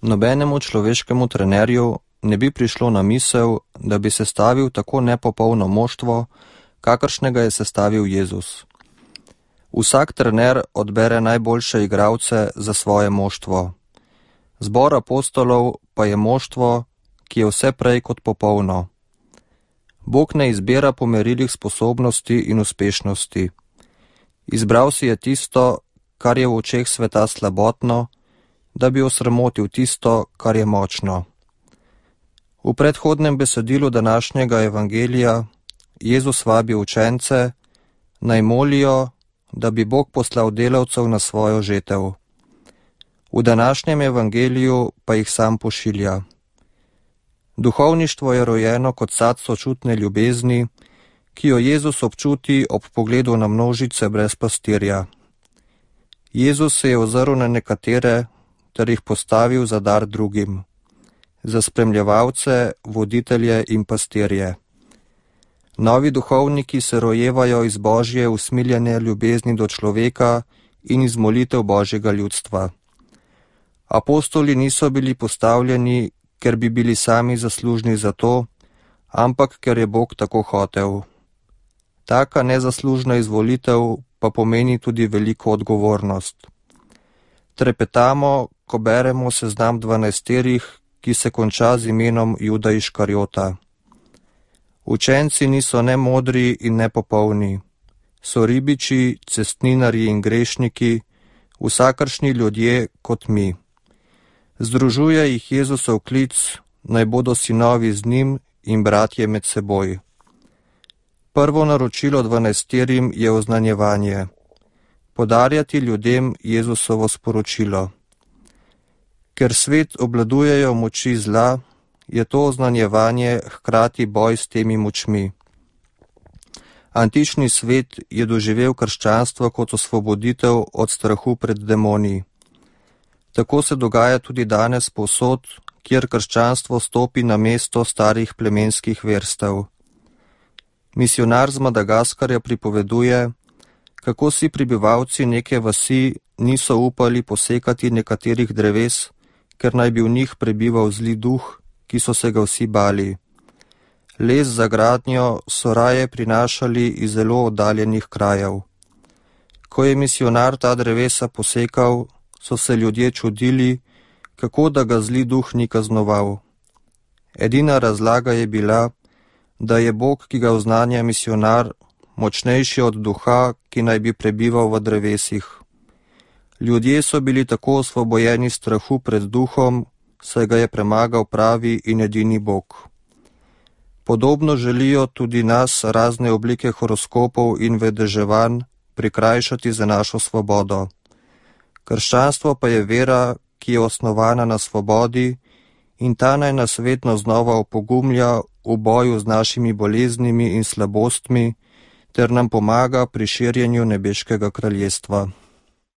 Nobenemu človeškemu trenerju ne bi prišlo na misel, da bi sestavil tako nepopolno moštvo, kakršnega je sestavil Jezus. Vsak trener odbere najboljše igralce za svoje moštvo. Zbor apostolov pa je moštvo, ki je vse prej kot popolno. Bog ne izbira po merilih sposobnosti in uspešnosti. Izbral si je tisto, kar je v očeh sveta slabotno, da bi osramotil tisto, kar je močno. V predhodnem besedilu današnjega evangelija Jezus vabi učence, naj molijo, da bi Bog poslal delavcev na svojo žetev. V današnjem evangeliju pa jih sam pošilja. Duhovništvo je rojeno kot sad sočutne ljubezni, ki jo Jezus občuti ob pogledu na množice brez pastirja. Jezus se je ozrl na nekatere ter jih postavil za dar drugim, za spremljevalce, voditelje in pastirje. Novi duhovniki se rojevajo iz Božje usmiljene ljubezni do človeka in iz molitev Božjega ljudstva. Apostoli niso bili postavljeni, ker bi bili sami zaslužni za to, ampak ker je Bog tako hotel. Taka nezaslužna izvolitev pa pomeni tudi veliko odgovornost. Trepetamo, ko beremo seznam 12, ki se konča z imenom Juda Iškarjota. Učenci niso ne modri in ne popolni. So ribiči, cestninarji in grešniki, vsakršni ljudje kot mi. Združuje jih Jezusov klic, naj bodo sinovi z njim in bratje med seboj. Prvo naročilo 12 je oznanjevanje. Podarjati ljudem Jezusovo sporočilo. Ker svet obladujejo moči zla, je to oznanjevanje hkrati boj s temi močmi. Antični svet je doživel krščanstvo kot osvoboditev od strahu pred demoni. Tako se dogaja tudi danes povsod, kjer krščanstvo stopi na mesto starih plemenskih verstev. Misionar z Madagaskarja pripoveduje, kako si prebivalci neke vasi niso upali posekati nekaterih dreves, ker naj bi v njih prebival zli duh, ki so se ga vsi bali. Les za gradnjo so raje prinašali iz zelo oddaljenih krajev. Ko je misionar ta drevesa posekal, so se ljudje čudili, kako da ga zli duh ni kaznoval. Edina razlaga je bila, da je Bog, ki ga oznanja misionar, močnejši od duha, ki naj bi prebival v drevesih. Ljudje so bili tako osvobojeni strahu pred duhom, saj ga je premagal pravi in edini Bog. Podobno želijo tudi nas razne oblike horoskopov in vedeževanj prikrajšati za našo svobodo. Krščanstvo pa je vera, ki je osnovana na svobodi in ta naj nas vedno znova opogumlja v boju z našimi boleznimi in slabostmi ter nam pomaga pri širjenju nebeškega kraljestva.